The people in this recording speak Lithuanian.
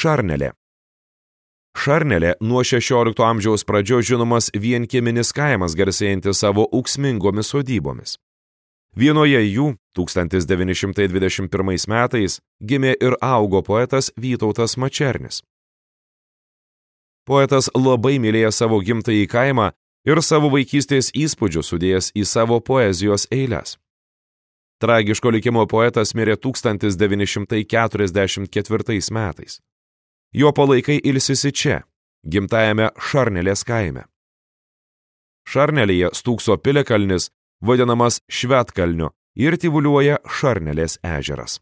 Šarnelė. Šarnelė nuo 16 amžiaus pradžios žinomas vienkieminis kaimas garsėjantis savo ūksmingomis sodybomis. Vienoje jų 1921 metais gimė ir augo poetas Vytautas Mačernis. Poetas labai mylėjo savo gimtąjį kaimą ir savo vaikystės įspūdžių sudėjęs į savo poezijos eiles. Tragiško likimo poetas mirė 1944 metais. Jo palaikai ilsisi čia, gimtajame Šarnelės kaime. Šarnelėje stūkso piliakalnis, vadinamas Švetkalniu, ir tyvuliuoja Šarnelės ežeras.